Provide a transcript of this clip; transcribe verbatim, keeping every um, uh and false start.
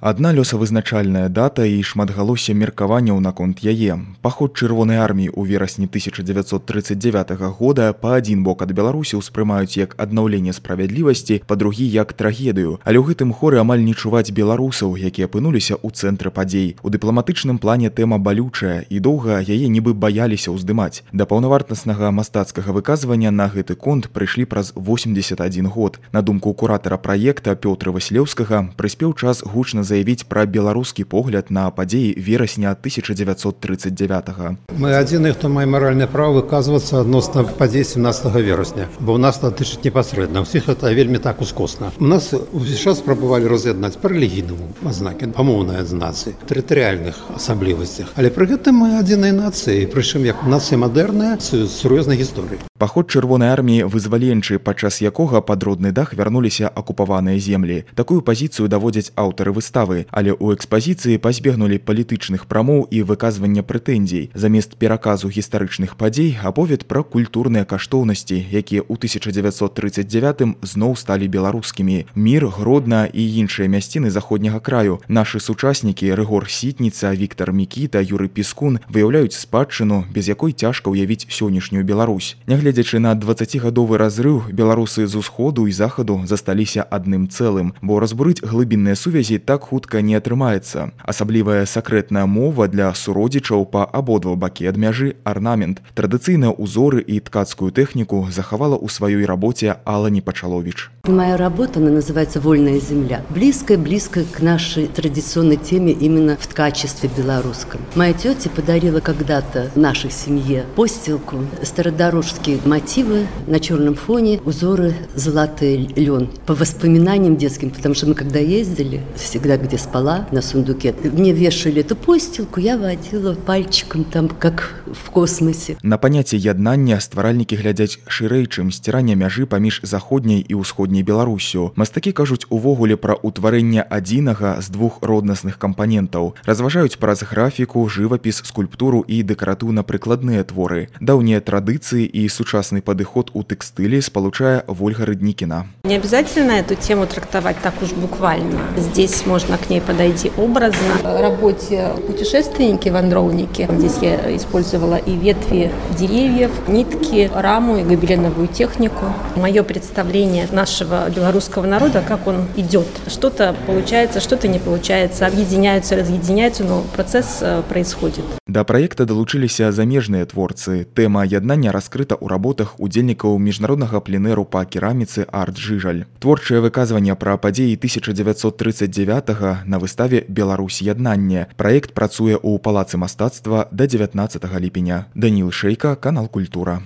Адна лёсавызначальная дата і шматгалоссе меркаванняў наконт яе. Паход чырвонай арміі ў верасні тысяча дзевяцьсот трыццаць дзевятага года па адзін бок ад Беларусі ўспрымаюць як аднаўленне справядлівасці, па-другі як трагедыю. Але ў гэтым хоры амаль не чуваць беларусаў, якія апынуліся ў цэнтры падзей. У дыпламатычным плане тэма балючая і доўга яе нібы баяліся ўздымаць. Да паўнавартаснага мастацкага выказвання на гэты конт прыйшлі праз восемьдесят один год. На думку куратара праекта Пётра Васілеўскага, прыспеў час гучна заявіць пра беларускі погляд на падзеі верасня тысяча дзевяцьсот трыццаць дзевятага. Мы адзіны, хто мае маральнае права выказвацца адносна падзей сямнадцатага верасня, бо ў нас датычыць непасрэдна. Усіх гэта вельмі так ускосна. У нас увесь час спрабавалі раз'яднаць па рэлігійнаму азнакі, па моўнай адзнацы, тэрытарыяльных асаблівасцях. Але пры гэтым мы адзінай нацыі, прычым як нацыя мадэрная з сур'ёзнай гісторыяй. Паход чырвонай арміі вызваленчы, падчас якога пад родны дах вярнуліся акупаваныя землі. Такую пазіцыю даводзяць аўтары выставы, але ў экспазіцыі пазбегнулі палітычных прамоў і выказвання прэтэнзій. Замест пераказу гістарычных падзей аповед пра культурныя каштоўнасці, якія ў тысяча дзевяцьсот трыццаць дзевятым зноў сталі беларускімі. Мір, Гродна і іншыя мясціны заходняга краю. Нашы сучаснікі Рыгор Сітніца, Віктар Мікіта, Юрый Піскун выяўляюць спадчыну, без якой цяжка ўявіць сённяшнюю Беларусь. Нягледзячы на дваццацігадовы разрыў, беларусы з усходу і захаду засталіся адным цэлым, бо разбурыць глыбінныя сувязі так хутка не атрымаецца. Асаблівая сакрэтная мова для суродзічаў па абодва бакі ад мяжы арнамент. Традыцыйныя ўзоры і ткацкую тэхніку захавала ў сваёй рабоце Алла Непачалович. Моя работа, она называется «Вольная земля». Близкая-близкая к нашей традиционной теме именно в ткачестве белорусском. Моя тетя подарила когда-то нашей семье постилку, стародорожские мотивы на черном фоне, узоры золотый лен. По воспоминаниям детским, потому что мы когда ездили, всегда где спала, на сундуке, мне вешали эту постилку, я водила пальчиком там, как в космосе. На паняцце яднання стваральнікі глядзяць шырэй, чым сцірання мяжы паміж заходняй і ўсходняй Беларусю. Мастакі кажуць увогуле пра ўтварэнне адзінага з двух роднасных кампанентаў. Разважаюць праз графіку, жывапіс, скульптуру і дэкаратыўна-прыкладныя творы. Даўнія традыцыі і сучасны падыход у тэкстылі спалучае Вольга Рыднікіна. Не обязательно эту тему трактовать так уж буквально. Здесь можно к ней подойти образно. В работе «Путешественники-вандровники» здесь я использовала и ветви деревьев, нитки, раму и гобеленовую технику. Мое представление нашего белорусского народа, как он идет. Что-то получается, что-то не получается, объединяются, разъединяются, но процесс происходит. Да праекта далучыліся замежныя творцы. Тэма яднання раскрыта ў работах удзельнікаў міжнароднага пленэру па кераміцы «Арт Жыжаль». Творчае выказванне пра падзеі тысяча дзевяцьсот трыццаць дзевятага на выставе «Беларусь яднанне». Праект працуе ў Палацы мастацтва да дзевятнаццатага ліпеня. Даніл Шэйка, канал Культура.